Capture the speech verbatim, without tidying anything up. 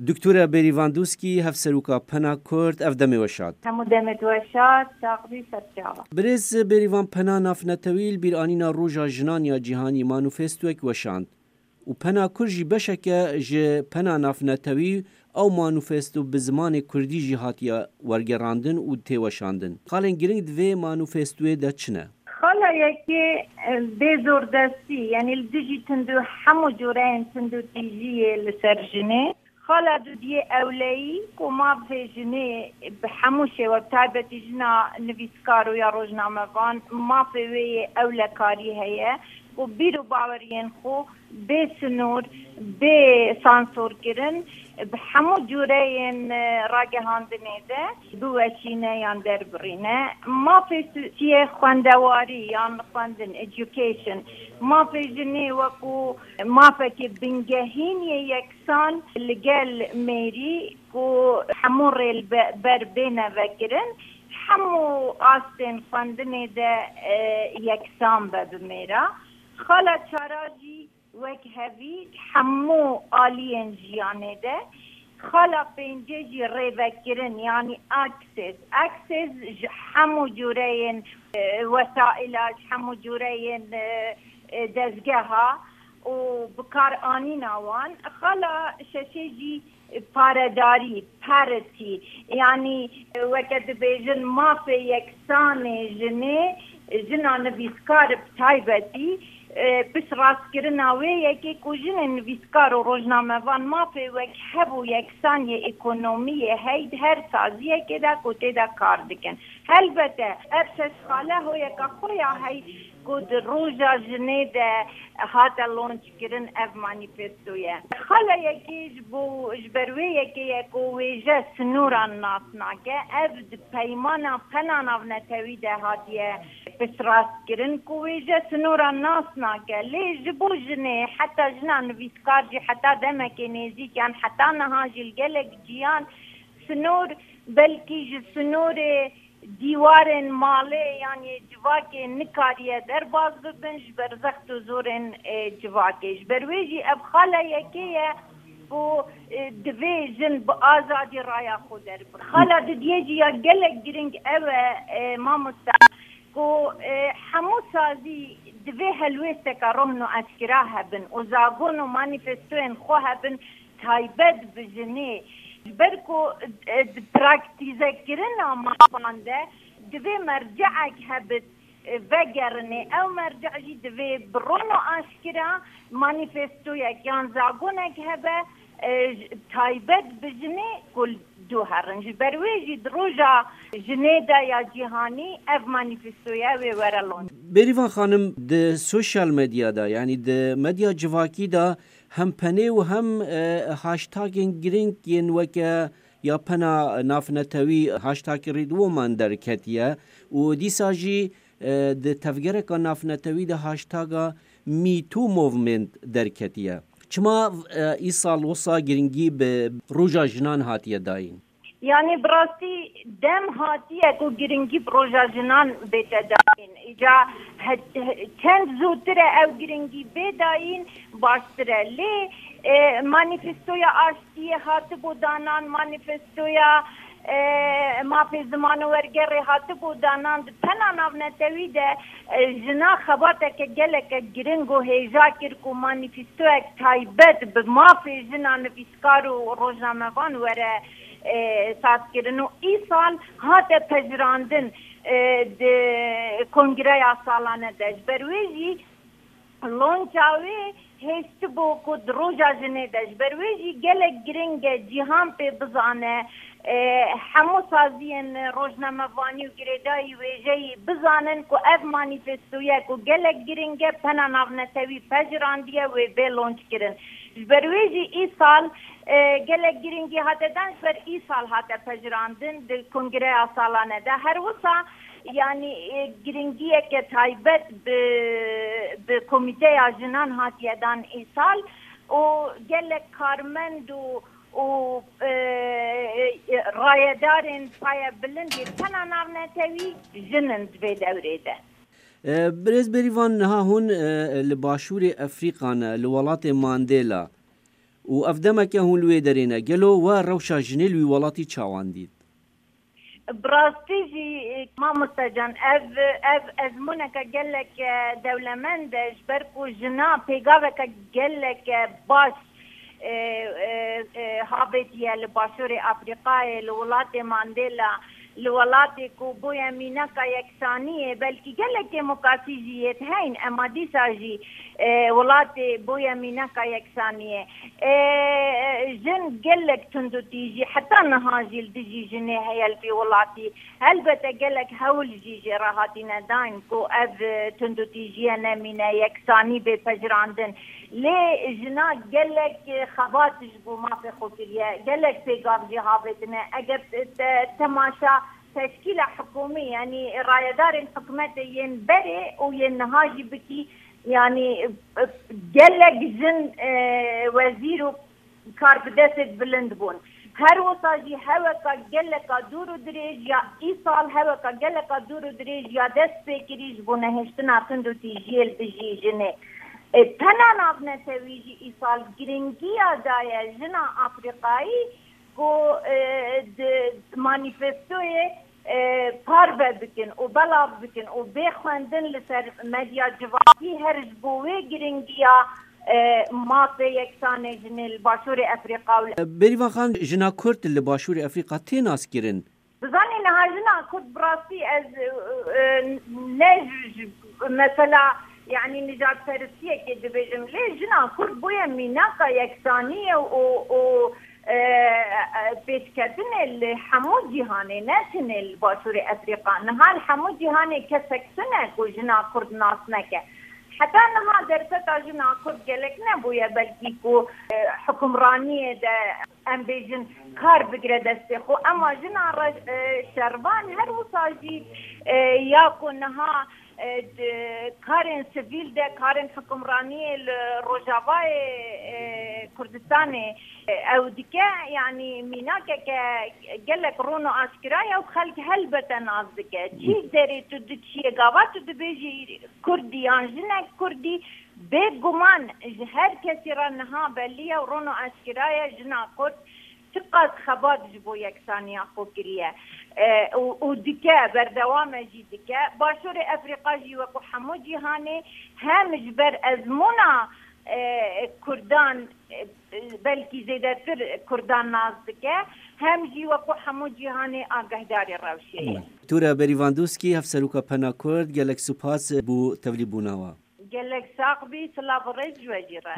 Doktore Bêrîvan Dûskî, Hevseroka Pena Kurd, ev demê we şad. Hemû demê we şad, sax bî, serçava. Birêz Bêrîvan, Pena Navnetewî li bîranîna Roja Jinan ya Cîhanî manîfestoyek weşand û Pena Kurd jî beşeke ji Pena Navnetewî, ew manîfesto bi zimanê kurdî jî hatiye wergerandin û tê weşandin. Xalên giring di vê manîfestoyê de çi ne? Xala yekê, e, bê zordestî, yanî li dijî tundû hemû cureyên tundûtîjiyê li ser jinê. Xala dudiyê ewleyî ku mafê jinê bi hemû şêwe, bi taybetî jina nivîskar û ya rojnamevan, mafê wê yê ewlekarî heye ku bîr û baweriyên xwe bê sinûr, bê sansorkirin, bi hemû cureyên, e, ragihandinê de biweşîne yan derbirîne. Mafê tu-, tiyê xwendewarî yan xwendin, education, mafê jinê wekû mafekê bingehîn yê yeksan li gel mêrî ku hemû rê li be-, ber bêne vekirin, hemû astên xwendinê de, e, yeksan be bi mêra. Xala çara jî wek hevî hemû aliyên jiyanê de, xala pêncê jî rêvekirin, yanî access. Access ji hemû cureyên, e, wesaîla, ji hemû cureyên, e, e, dezgeha û bikaranîna wan. Xala şeşê jî paredarî, parity, yanî, e, weke dibêjin mafê yeksanê jinê, jina nivîskar bi taybetî, e, piştrastkirina wê yekê ku jinên nivîskar û rojnamevan mafê wek hev û yeksaniyê ekonomiyê hey di her saziyekê de ku tê de kar dikin. Helbete ev şeş xale hoyeka xwe ya hey ku di roja jinê de hate launch kirin ev manîfesto ye. Xala yekê ji bo, ji ber wê yekê ye ku wêje sinoran nas nake. Ev di peymana Pena Navnetewî de hatiye piştrast kirin ku wêje sinoran nas nake. Lê ji bo jinê, heta jina nivîskar jî heta demekê nêzîk yan heta niha jî li gelek ciyan sinor, belkî ji sinorê dîwarên malê yan yê civakê nikariye derbas bibin ji ber zext û zorên, e, civakê. Ji ber wê jî ev xala yekê ye ku, e, divê jin bi azadî raya xwe derbir. Xala didiyê jî ya gelek giring ew e, e, mamosta, ku, e, hemû sazî divê helwêsteke rohn û eşkira hebin û zagon û manîfestoyên xwe hebin, taybet bi jinê. Ji ber ku, e, di praktîzekirina mafan de divê merceek hebit, e, vegerinê. Ew merce jî divê bi ron û aşkira manîfestoyek yan zagonek hebe, e, j-, taybet bi jinê ku li dû herin. Ji ber wê jî di roja jinê de ya cîhanî ev manîfestoya wê were launch. Bêrîvan xanim, di sosyal medya de, yanî di medya civakî de hem penê û hem, e, hashtagên girîng yên weke ya Pena Navnetewî, hashtag Read Woman derketiye û dîsa jî, e, di tevgereka navnetewî de hashtaga Me Too Movement derketiye. Çima, e, îsal wisa girîngî bi Roja Jinan hatiye dayîn? Yanî bi rastî dem hatiye ku girîngî bi Roja Jinan bête dayîn. Îca he-, he-, çend zûtir e ew girîngî bê dayîn, baştir e. Lê, e, manîfestoya aştiyê hatibû danan, manîfestoya, e, mafê ziman û wergerê hatibû danan. Di Pena Navnetewî de, e, jina xebateke geleke giring û hêja kir ku manîfestoyek taybet bi mafê jina nivîskar û rojnamevan were, e, sazkirin û îsal hate pejirandin, e, di kongreya salane de. Ji ber wê jî lonca wê hêştibû ku di Roja Jinê de. Ji ber wê jî gelek giring e cîhan pê bizane, e, hemû saziyên rojnamevanî û girêdayî wêjeyî bizanin ku ev manîfestoye ku gelek giring e, Pena Navnetewî pejirandiye, wê bê lonc kirin. Ji ber wê jî îsal, e, gelek giringî hate dan, ji ber îsal hate pejirandin di kongreya salane de. Her wisa, yanî, e, giringiyeke taybet bi, bi Komîteya Jinan hatiye dan îsal û gelek karmend û, û, e, e, rayedarên payebilind yê Pena Navnetewî jin in di vê dewrê de. E, Birêz Bêrîvan, niha hûn, e, li Başûrê Efrîka ne, li welatê Mandela. Û ev demeke hûn li wê derê ne, gelo we rewşa jinê li wî welatî çawan dît? Bi rastî jî, mamoste can, ev, ev ezmûneke gelek, e, dewlemend e, ji ber ku jina pêgaveke gelek, e, baş, e, e, e, havêtiye li Başûrê Afrîkayê, li welatê Mandela, li welatê ku bûye mînaka yeksaniyê, belkî gelek demokrasî jî yê heyn, ema dîsa jî, e, welatê bûye mînaka yeksaniyê. E, jin gelek tundûtîjî, heta niha jî li dijî jinê heye li vî welatî. Helbete gelek hewl jî jê re hatine dayîn ku ev, e, tundûtîjiye nemîne, yeksanî bê pejirandin. Lê jina gelek, e, xebat ji bo mafê xwe kiriye, gelek pêgav jê havêtine. Eger te, te, temaşa teşkîla hikûmî, yanî rayedarên hikûmetê yên berê û yên niha jî bikî, yanî, e, gelek jin, e, wezîr û karbidestê bilind bûn. Her wisa jî heweka geleka dûr û dirêj ya îsal, heweka geleka dûr û dirêj ya dest pê kirî ji bo nehiştina tundûtîjiyê li dijî jinê. E, tena navnetewî jî îsal giringiya daye jina Afrîkayî ku, e, di manîfestoyê, e, parve bikin û belav bikin û bê xwendin li ser medya civakî her ji bo wê giringiya, e, mafê yeksanê jinê li Başûrê Efrîqa û li Berîvan Xan, jina Kurd li Başûrê Efrîqa tê naskirin? Bizanî niha jina Kurd bi rastî ez, e, e, ne ji, ji mesela, yanî nijadperistiyekê dibêjim, lê jina Kurd bûye mînaka yeksaniyê û, û, e, e, pêşketinê li hemû cîhanê, ne tenê li Başûrê Efrîqa. Niha li hemû cîhanê kesek tune ku jina Kurd nas neke. Heta niha derseta jina Kurd gelek nebûye, belkî ku, e, hikûmraniyê de em bêjin kar bigire destê xwe. Ema jina re-, e, şervan her wisa jî, e, ya ku niha, e, di karên sivîl de, karên hikûmraniyê li Rojavayê, e, Kurdistanê, e, ew dike, yanî mînakeke gelek ron û aşkira ye û xelk helbete nas dike. Çi derê tu diçiyê, gava tu dibêjî Kurdî yan jinek Kurdî, bêguman ji her kesî re niha belî ye û ron û aşkira ye, jina Kurd çiqas xebat ji bo yeksaniya xwe kiriye, e, û, û dike, berdewam e jî dike. Başûrê Efrîqa jî wekû hemû cîhanê hem ji ber ezmûna, e, Kurdan, e, belkî zêdetir Kurdan nas dike, hem jî wekû hemû cîhanê agahdarê rewşê ye. Tura Berîvan Dûskî, Hevseroka Pena Kurd, gelek spas bo tevlîbûna we. Gelek sax bî, silav û rêz ji we jî re.